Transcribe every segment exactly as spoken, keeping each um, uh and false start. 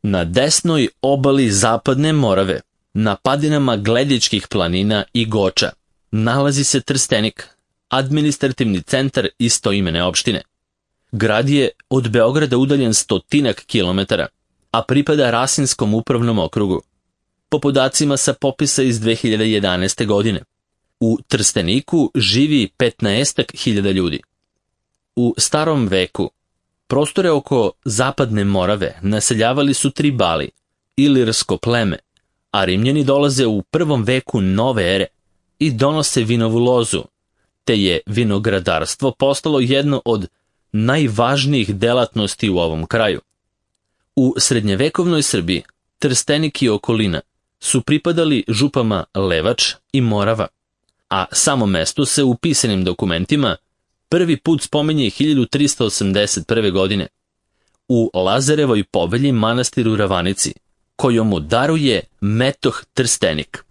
Na desnoj obali Zapadne Morave, na padinama Gledičkih planina i Goča, nalazi se Trstenik, administrativni centar istoimene opštine. Grad je od Beograda udaljen stotinak kilometara, a pripada Rasinskom upravnom okrugu. Po podacima sa popisa iz dve hiljade jedanaeste. godine, u Trsteniku živi petnaestak hiljada ljudi. U starom veku prostore oko Zapadne Morave naseljavali su Tribali, ilirsko pleme, a Rimljani dolaze u prvom veku nove ere i donose vinovu lozu, te je vinogradarstvo postalo jedno od najvažnijih delatnosti u ovom kraju. U srednjevekovnoj Srbiji Trstenik i okolina su pripadali župama Levač i Morava, a samo mesto se u pisanim dokumentima prvi put spominje hiljadu trista osamdeset prve. godine u Lazarevoj povelji manastiru Ravanici, kojomu daruje metoh Trstenik.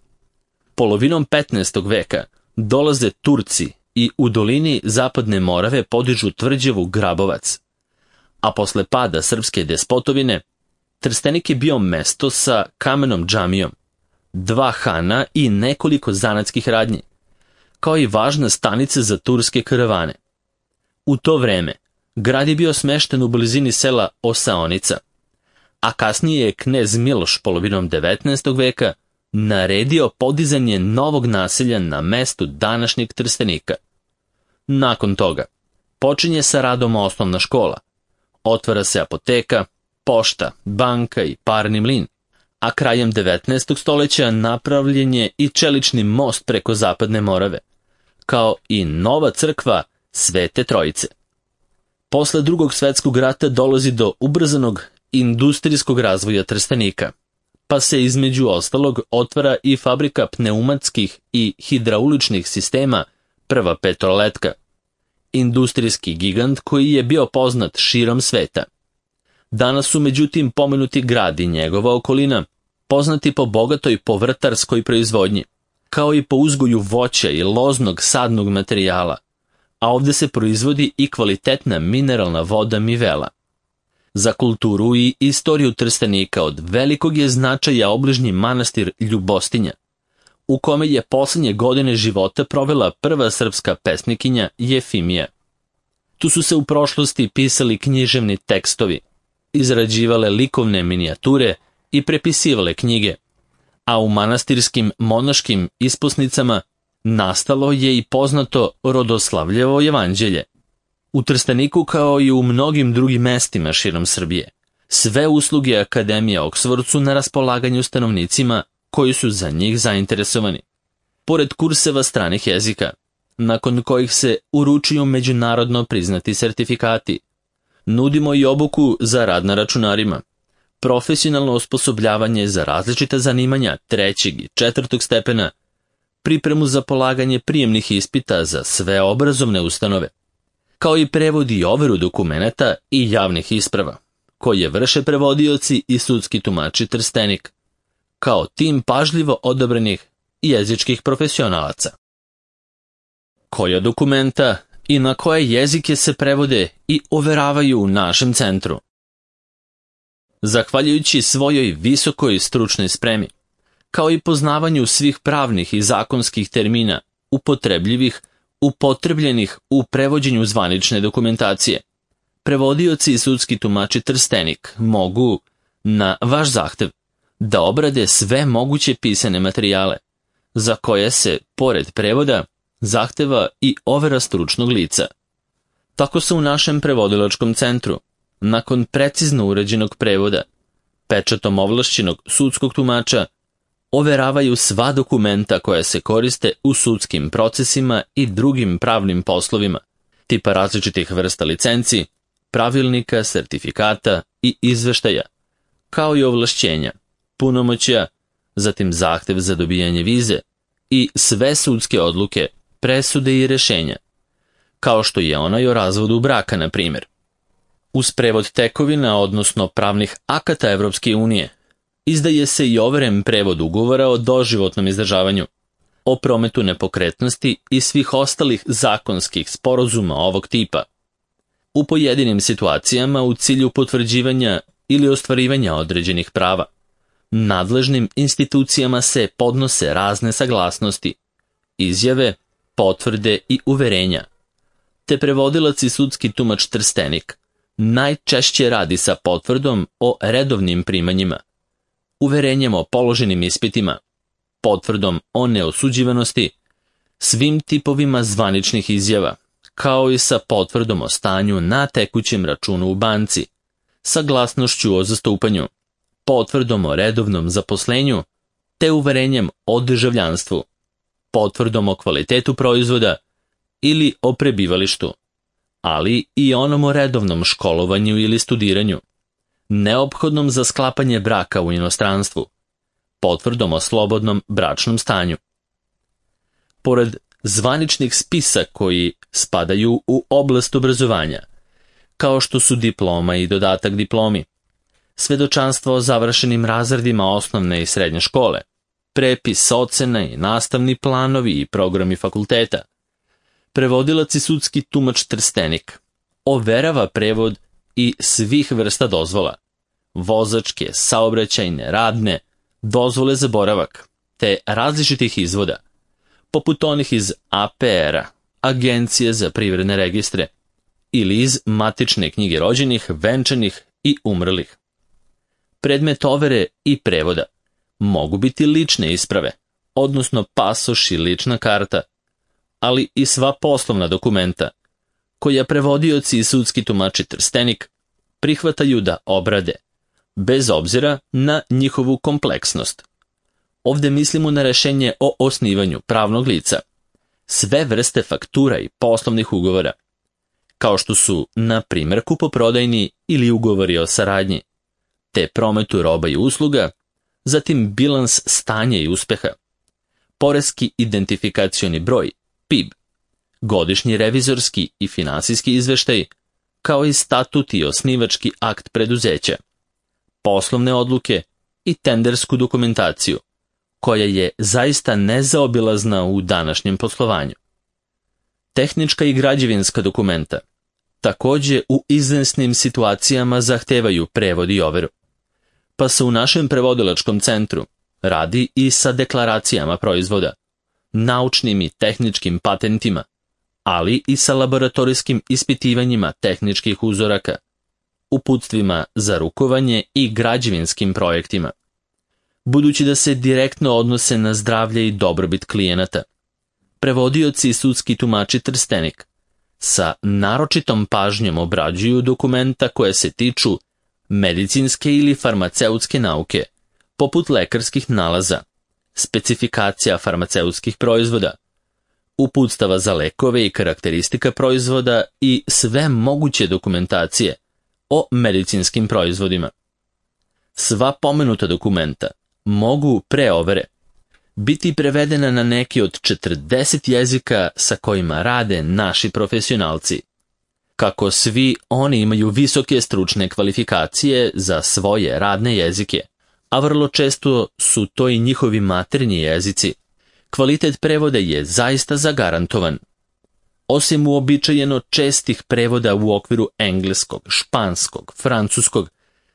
Polovinom petnaestog. veka dolaze Turci i u dolini Zapadne Morave podižu tvrđavu Grabovac, a posle pada srpske despotovine Trstenik je bio mesto sa kamenom džamijom, dva hana i nekoliko zanatskih radnji, kao i važna stanica za turske karavane. U to vreme grad je bio smešten u blizini sela Osaonica, a kasnije je knez Miloš polovinom devetnaestog. veka naredio podizanje novog naselja na mestu današnjeg Trstenika. Nakon toga počinje sa radom osnovna škola, otvara se apoteka, pošta, banka i parni mlin, a krajem devetnaestog. stoljeća napravljen je i čelični most preko Zapadne Morave, kao i nova crkva Svete Trojice. Posle drugog svetskog rata dolazi do ubrzanog industrijskog razvoja Trstenika, pa se između ostalog otvara i fabrika pneumatskih i hidrauličnih sistema Prva Petroletka, industrijski gigant koji je bio poznat širom sveta. Danas su međutim pomenuti grad i njegova okolina poznati po bogatoj povrtarskoj proizvodnji, kao i po uzgoju voća i loznog sadnog materijala, a ovdje se proizvodi i kvalitetna mineralna voda Mivela. Za kulturu i istoriju Trstenika od velikog je značaja obližnji manastir Ljubostinja, u kome je posljednje godine života provela prva srpska pesnikinja Jefimija. Tu su se u prošlosti pisali književni tekstovi, izrađivale likovne minijature i prepisivale knjige, a u manastirskim monaškim isposnicama nastalo je i poznato Rodoslavljevo jevanđelje. U Trsteniku, kao i u mnogim drugim mestima širom Srbije, sve usluge Akademije Oksford su na raspolaganju stanovnicima koji su za njih zainteresovani. Pored kurseva stranih jezika, nakon kojih se uručuju međunarodno priznati sertifikati, nudimo i obuku za rad na računarima, profesionalno osposobljavanje za različita zanimanja trećeg i četvrtog stepena, pripremu za polaganje prijemnih ispita za sve obrazovne ustanove, kao i prevod i overu dokumenata i javnih isprava, koje vrše prevodioci i sudski tumači Trstenik, kao tim pažljivo odabranih jezičkih profesionalaca. Koja dokumenta i na koje jezike se prevode i overavaju u našem centru? Zahvaljujući svojoj visokoj stručnoj spremi, kao i poznavanju svih pravnih i zakonskih termina upotrebljivih, upotrebljenih u prevođenju zvanične dokumentacije, prevodioci i sudski tumači Trstenik mogu, na vaš zahtev, da obrade sve moguće pisane materijale, za koje se, pored prevoda, zahteva i overa stručnog lica. Tako se u našem prevodilačkom centru, nakon precizno uređenog prevoda, pečatom ovlašćenog sudskog tumača, overavaju sva dokumenta koja se koriste u sudskim procesima i drugim pravnim poslovima, tipa različitih vrsta licenci, pravilnika, sertifikata i izveštaja, kao i ovlašćenja, punomoćja, zatim zahtev za dobijanje vize i sve sudske odluke, presude i rešenja, kao što je onaj o razvodu braka, na primjer. Uz prevod tekovina, odnosno pravnih akata Evropske unije, izdaje se i overen prevod ugovora o doživotnom izdržavanju, o prometu nepokretnosti i svih ostalih zakonskih sporazuma ovog tipa. U pojedinim situacijama u cilju potvrđivanja ili ostvarivanja određenih prava. Nadležnim institucijama se podnose razne saglasnosti, izjave, potvrde i uverenja, te prevodilac i sudski tumač Trstenik najčešće radi sa potvrdom o redovnim primanjima, uverenjem o položenim ispitima, potvrdom o neosuđivanosti, svim tipovima zvaničnih izjava, kao i sa potvrdom o stanju na tekućem računu u banci, saglasnošću o zastupanju, potvrdom o redovnom zaposlenju, te uverenjem o državljanstvu, potvrdom o kvalitetu proizvoda ili o prebivalištu, ali i onom o redovnom školovanju ili studiranju, neophodnom za sklapanje braka u inostranstvu, potvrdom o slobodnom bračnom stanju. Pored zvaničnih spisa koji spadaju u oblast obrazovanja, kao što su diploma i dodatak diplomi, svedočanstvo o završenim razredima osnovne i srednje škole, prepis ocena i nastavni planovi i programi fakulteta, prevodilac i sudski tumač Trstenik overava prevod i svih vrsta dozvola, vozačke, saobraćajne, radne, dozvole za boravak, te različitih izvoda, poput onih iz A P R-a, Agencije za privredne registre, ili iz matične knjige rođenih, venčanih i umrlih. Predmet overe i prevoda mogu biti lične isprave, odnosno pasoš i lična karta, ali i sva poslovna dokumenta, koja prevodioci i sudski tumači Trstenik prihvataju da obrade, bez obzira na njihovu kompleksnost. Ovde mislimo na rešenje o osnivanju pravnog lica, sve vrste faktura i poslovnih ugovora, kao što su, na primjer, kupoprodajni ili ugovori o saradnji, te prometu roba i usluga, zatim bilans stanja i uspeha, poreski identifikacioni broj, P I B, godišnji revizorski i finansijski izveštaj, kao i statut i osnivački akt preduzeća, poslovne odluke i tendersku dokumentaciju, koja je zaista nezaobilazna u današnjem poslovanju. Tehnička i građevinska dokumenta takođe u izvesnim situacijama zahtevaju prevod i overu, pa se u našem prevodilačkom centru radi i sa deklaracijama proizvoda, naučnim i tehničkim patentima, ali i sa laboratorijskim ispitivanjima tehničkih uzoraka, uputstvima za rukovanje i građevinskim projektima. Budući da se direktno odnose na zdravlje i dobrobit klijenata, prevodioci i sudski tumači Trstenik sa naročitom pažnjom obrađuju dokumenta koje se tiču medicinske ili farmaceutske nauke, poput lekarskih nalaza, specifikacija farmaceutskih proizvoda, uputstava za lekove i karakteristika proizvoda i sve moguće dokumentacije o medicinskim proizvodima. Sva pomenuta dokumenta mogu pre overe biti prevedena na neki od četrdeset jezika sa kojima rade naši profesionalci. Kako svi oni imaju visoke stručne kvalifikacije za svoje radne jezike, a vrlo često su to i njihovi maternji jezici, kvalitet prevoda je zaista zagarantovan. Osim uobičajeno čestih prevoda u okviru engleskog, španskog, francuskog,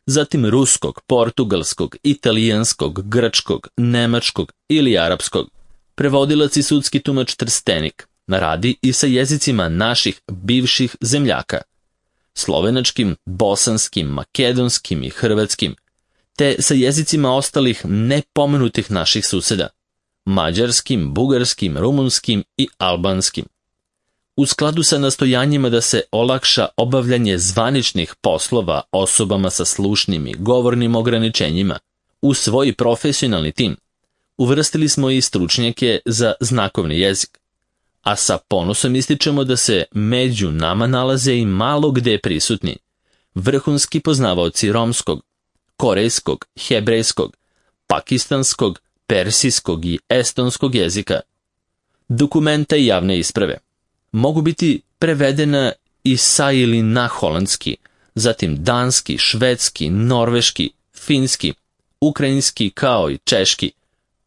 zatim ruskog, portugalskog, italijanskog, grčkog, nemačkog ili arapskog, prevodilac i sudski tumač Trstenik radi i sa jezicima naših bivših zemljaka, slovenačkim, bosanskim, makedonskim i hrvatskim, te sa jezicima ostalih nepomenutih naših suseda, mađarskim, bugarskim, rumunskim i albanskim. U skladu sa nastojanjima da se olakša obavljanje zvaničnih poslova osobama sa slušnim i govornim ograničenjima, u svoj profesionalni tim uvrstili smo i stručnjake za znakovni jezik, a sa ponosom ističemo da se među nama nalaze i malo gde prisutni vrhunski poznavaoci romskog, korejskog, hebrejskog, pakistanskog, persijskog i estonskog jezika. Dokumenta i javne isprave mogu biti prevedena i sa ili na holandski, zatim danski, švedski, norveški, finski, ukrajinski kao i češki,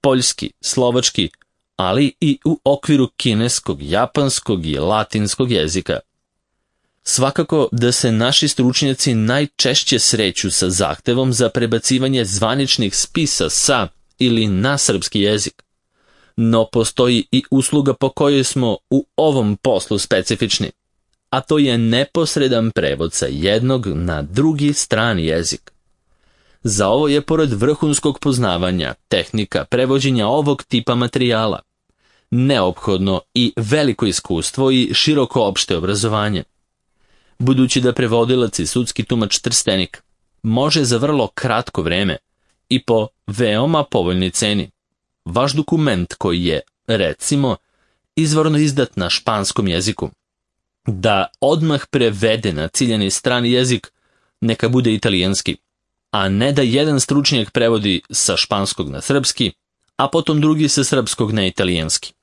poljski, slovački, ali i u okviru kineskog, japanskog i latinskog jezika. Svakako da se naši stručnjaci najčešće sreću sa zahtevom za prebacivanje zvaničnih spisa sa ili na srpski jezik. No postoji i usluga po kojoj smo u ovom poslu specifični, a to je neposredan prevod sa jednog na drugi strani jezik. Za ovo je, pored vrhunskog poznavanja tehnika prevođenja ovog tipa materijala, neophodno i veliko iskustvo i široko opšte obrazovanje. Budući da prevodilac i sudski tumač Trstenik može za vrlo kratko vreme i po veoma povoljnoj ceni, vaš dokument koji je, recimo, izvorno izdat na španskom jeziku, da odmah prevede na ciljani strani jezik, neka bude italijanski, a ne da jedan stručnjak prevodi sa španskog na srpski, a potom drugi sa srpskog na italijanski.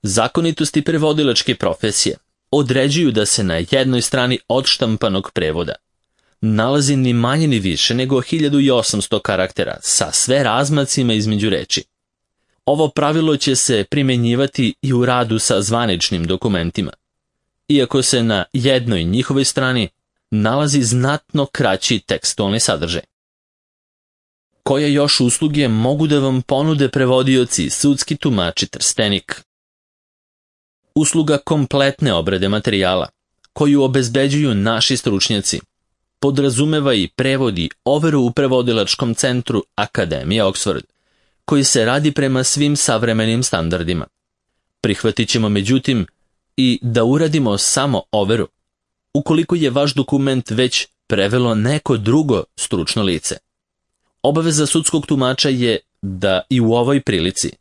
Zakonitosti prevodilačke profesije određuju da se na jednoj strani odštampanog prevoda nalazi ni manje ni više nego hiljadu osamsto karaktera sa sve razmacima između reči. Ovo pravilo će se primjenjivati i u radu sa zvaničnim dokumentima, iako se na jednoj njihovoj strani nalazi znatno kraći tekstualni sadržaj. Koje još usluge mogu da vam ponude prevodioci i sudski tumači Trstenik? Usluga kompletne obrade materijala, koju obezbeđuju naši stručnjaci, podrazumeva i prevodi overu u prevodilačkom centru Akademije Oxford, koji se radi prema svim savremenim standardima. Prihvatit ćemo međutim i da uradimo samo overu, ukoliko je vaš dokument već prevelo neko drugo stručno lice. Obaveza sudskog tumača je da i u ovoj prilici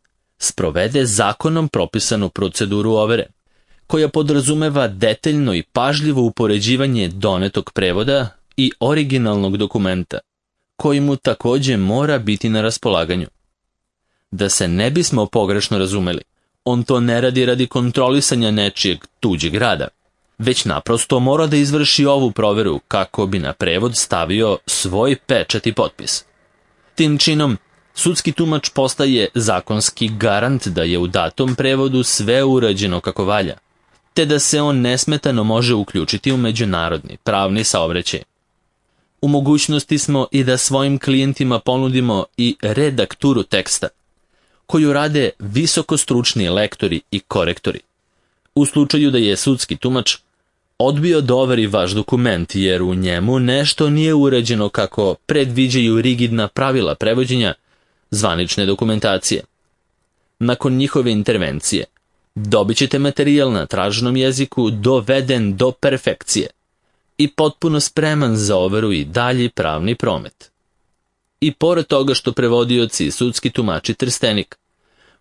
sprovede zakonom propisanu proceduru overe, koja podrazumeva detaljno i pažljivo upoređivanje donetog prevoda i originalnog dokumenta, koji mu također mora biti na raspolaganju. Da se ne bismo pogrešno razumeli, on to ne radi radi kontrolisanja nečijeg tuđeg rada, već naprosto mora da izvrši ovu proveru kako bi na prevod stavio svoj pečat i potpis. Tim činom, sudski tumač postaje zakonski garant da je u datom prevodu sve urađeno kako valja, te da se on nesmetano može uključiti u međunarodni pravni saobraćaj. U mogućnosti smo i da svojim klijentima ponudimo i redakturu teksta, koju rade visokostručni lektori i korektori, u slučaju da je sudski tumač odbio da overi vaš dokument jer u njemu nešto nije urađeno kako predviđaju rigidna pravila prevođenja zvanične dokumentacije. Nakon njihove intervencije, dobit ćete materijal na traženom jeziku doveden do perfekcije i potpuno spreman za overu i dalji pravni promet. I pored toga što prevodioci i sudski tumači Trstenik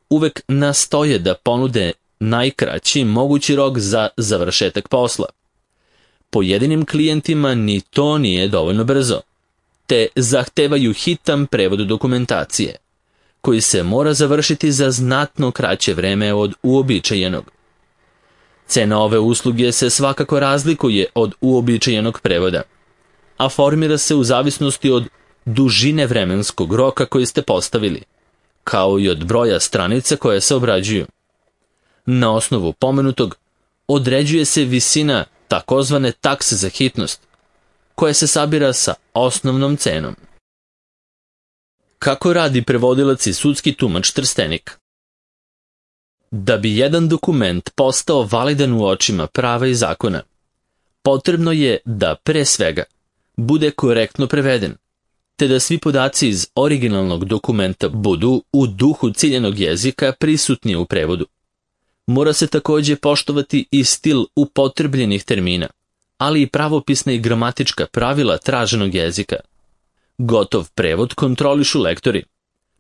uvek nastoje da ponude najkraći mogući rok za završetak posla, pojedinim klijentima ni to nije dovoljno brzo, te zahtevaju hitan prevod dokumentacije, koji se mora završiti za znatno kraće vreme od uobičajenog. Cena ove usluge se svakako razlikuje od uobičajenog prevoda, a formira se u zavisnosti od dužine vremenskog roka koji ste postavili, kao i od broja stranica koje se obrađuju. Na osnovu pomenutog određuje se visina takozvane takse za hitnost, koja se sabira sa osnovnom cenom. Kako radi prevodilac i sudski tumač Trstenik? Da bi jedan dokument postao validan u očima prava i zakona, potrebno je da pre svega bude korektno preveden, te da svi podaci iz originalnog dokumenta budu u duhu ciljenog jezika prisutni u prevodu. Mora se također poštovati i stil upotrebljenih termina, ali i pravopisna i gramatička pravila traženog jezika. Gotov prevod kontrolišu lektori,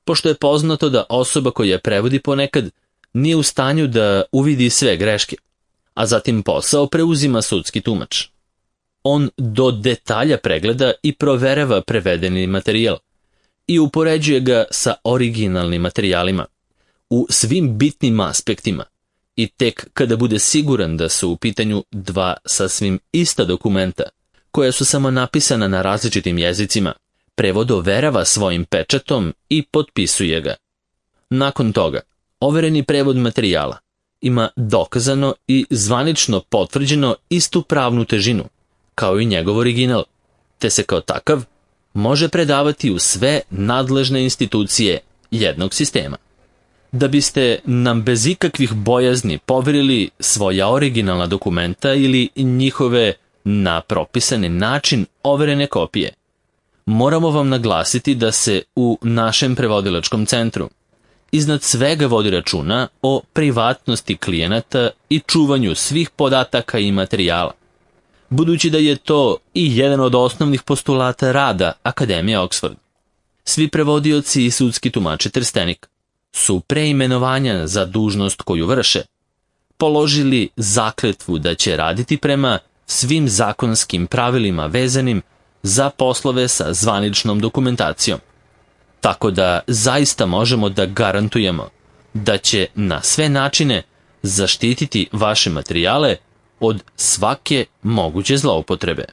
pošto je poznato da osoba koja prevodi ponekad nije u stanju da uvidi sve greške, a zatim posao preuzima sudski tumač. On do detalja pregleda i proverava prevedeni materijal i upoređuje ga sa originalnim materijalima u svim bitnim aspektima i tek kada bude siguran da su u pitanju dva sasvim ista dokumenta, koja su samo napisana na različitim jezicima, prevod overava svojim pečatom i potpisuje ga. Nakon toga, overeni prevod materijala ima dokazano i zvanično potvrđeno istu pravnu težinu, kao i njegov original, te se kao takav može predavati u sve nadležne institucije jednog sistema. Da biste nam bez ikakvih bojazni poverili svoja originalna dokumenta ili njihove na propisani način overene kopije, moramo vam naglasiti da se u našem prevodilačkom centru iznad svega vodi računa o privatnosti klijenata i čuvanju svih podataka i materijala, budući da je to i jedan od osnovnih postulata rada Akademije Oxford. Svi prevodioci i sudski tumači Trstenik su pre imenovanja za dužnost koju vrše položili zakletvu da će raditi prema svim zakonskim pravilima vezanim za poslove sa zvaničnom dokumentacijom. Tako da zaista možemo da garantujemo da će na sve načine zaštititi vaše materijale od svake moguće zloupotrebe.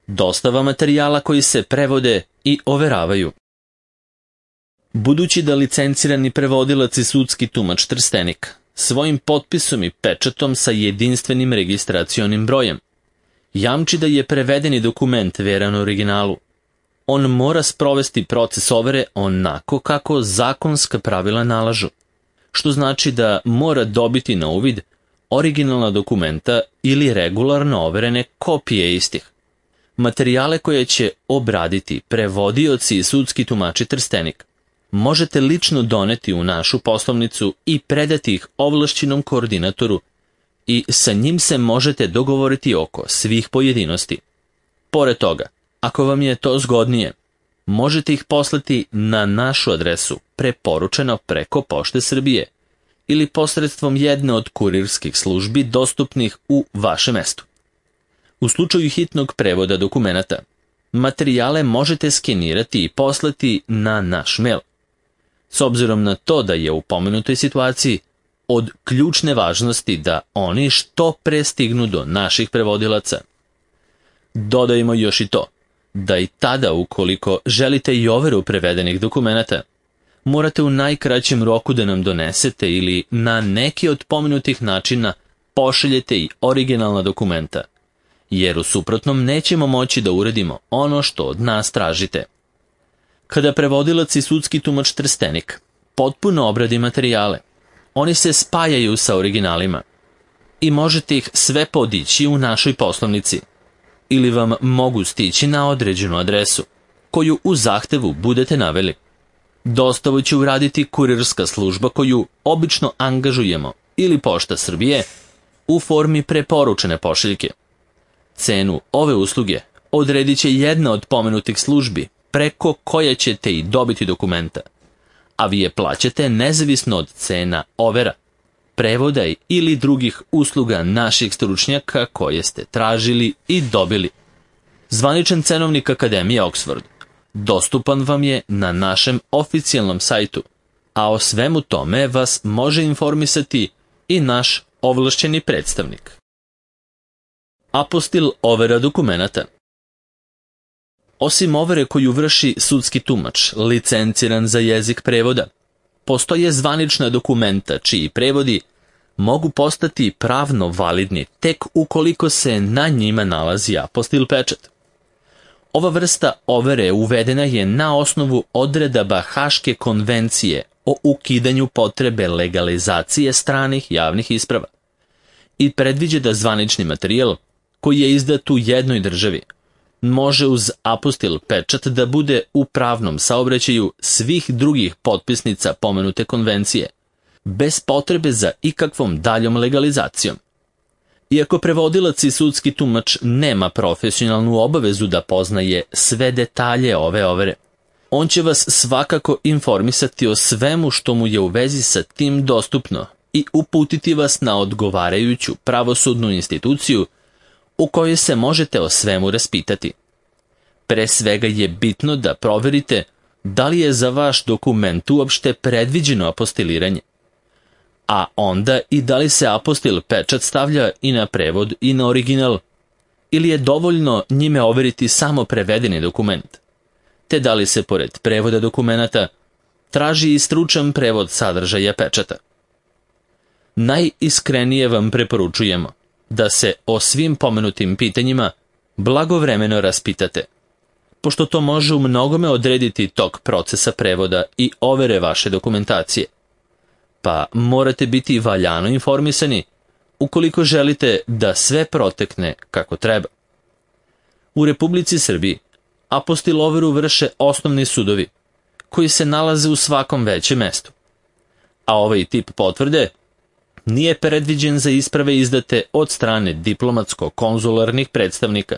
Dostava materijala koji se prevode i overavaju. Budući da licencirani prevodilac i sudski tumač Trstenik svojim potpisom i pečatom sa jedinstvenim registracionim brojem jamči da je prevedeni dokument veran originalu, on mora sprovesti proces overe onako kako zakonska pravila nalažu, što znači da mora dobiti na uvid originalna dokumenta ili regularno overene kopije istih. Materijale koje će obraditi prevodioci i sudski tumači Trstenik možete lično doneti u našu poslovnicu i predati ih ovlašćenom koordinatoru i sa njim se možete dogovoriti oko svih pojedinosti. Pored toga, ako vam je to zgodnije, možete ih poslati na našu adresu preporučeno preko Pošte Srbije ili posredstvom jedne od kurirskih službi dostupnih u vašem mestu. U slučaju hitnog prevoda dokumenata, materijale možete skenirati i poslati na naš mail. S obzirom na to da je u pomenutoj situaciji od ključne važnosti da oni što pre stignu do naših prevodilaca. Dodajmo još i to, da i tada ukoliko želite i overu prevedenih dokumenata, morate u najkraćem roku da nam donesete ili na neki od pomenutih načina pošaljete i originalna dokumenta, jer u suprotnom nećemo moći da uradimo ono što od nas tražite. Kada prevodilac i sudski tumač Trstenik potpuno obradi materijale, oni se spajaju sa originalima i možete ih sve podići u našoj poslovnici ili vam mogu stići na određenu adresu, koju u zahtevu budete naveli. Dostavu će uraditi kurirska služba koju obično angažujemo ili Pošta Srbije u formi preporučene pošiljke. Cenu ove usluge odredit će jedna od pomenutih službi preko koje ćete i dobiti dokumenta, a vi je plaćate nezavisno od cena overa, prevoda ili drugih usluga naših stručnjaka koje ste tražili i dobili. Zvaničan cenovnik Akademije Oxford dostupan vam je na našem oficijalnom sajtu, a o svemu tome vas može informisati i naš ovlašćeni predstavnik. Apostil overa dokumenata. Osim overe koju vrši sudski tumač, licenciran za jezik prevoda, postoje zvanična dokumenta čiji prevodi mogu postati pravno validni tek ukoliko se na njima nalazi apostil pečat. Ova vrsta overe uvedena je na osnovu odredaba Haške konvencije o ukidanju potrebe legalizacije stranih javnih isprava i predviđa da zvanični materijal koji je izdat u jednoj državi može uz apostil pečat da bude u pravnom saobraćaju svih drugih potpisnica pomenute konvencije, bez potrebe za ikakvom daljom legalizacijom. Iako prevodilac i sudski tumač nema profesionalnu obavezu da poznaje sve detalje ove overe, on će vas svakako informisati o svemu što mu je u vezi sa tim dostupno i uputiti vas na odgovarajuću pravosudnu instituciju u kojoj se možete o svemu raspitati. Pre svega je bitno da proverite da li je za vaš dokument uopšte predviđeno apostiliranje, a onda i da li se apostil pečat stavlja i na prevod i na original, ili je dovoljno njime overiti samo prevedeni dokument, te da li se pored prevoda dokumenata traži i stručan prevod sadržaja pečata. najiskrenije vam preporučujemo da se o svim pomenutim pitanjima blagovremeno raspitate, pošto to može u mnogome odrediti tok procesa prevoda i overe vaše dokumentacije. Pa morate biti valjano informisani ukoliko želite da sve protekne kako treba. U Republici Srbiji apostil overu vrše osnovni sudovi, koji se nalaze u svakom većem mestu. A ovaj tip potvrde nije predviđen za isprave izdate od strane diplomatsko-konzularnih predstavnika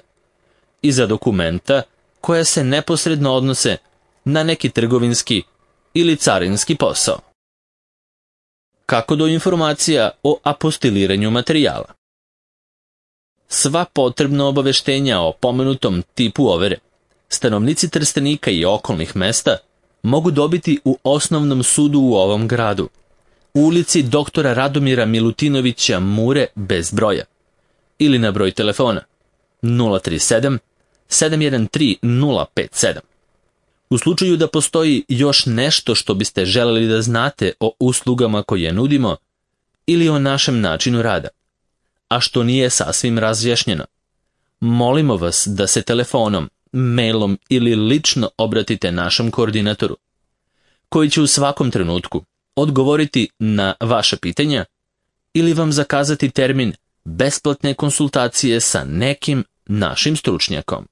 i za dokumenta koja se neposredno odnose na neki trgovinski ili carinski posao. Kako do informacija o apostiliranju materijala? Sva potrebna obaveštenja o pomenutom tipu overe stanovnici Trstenika i okolnih mesta mogu dobiti u osnovnom sudu u ovom gradu, u ulici doktora Radomira Milutinovića Mure bez broja, ili na broj telefona nula tri sedam sedam jedan tri nula pet sedam. U slučaju da postoji još nešto što biste želeli da znate o uslugama koje nudimo ili o našem načinu rada, a što nije sasvim razjašnjeno, molimo vas da se telefonom, mailom ili lično obratite našem koordinatoru, koji će u svakom trenutku odgovoriti na vaše pitanja ili vam zakazati termin besplatne konsultacije sa nekim našim stručnjakom.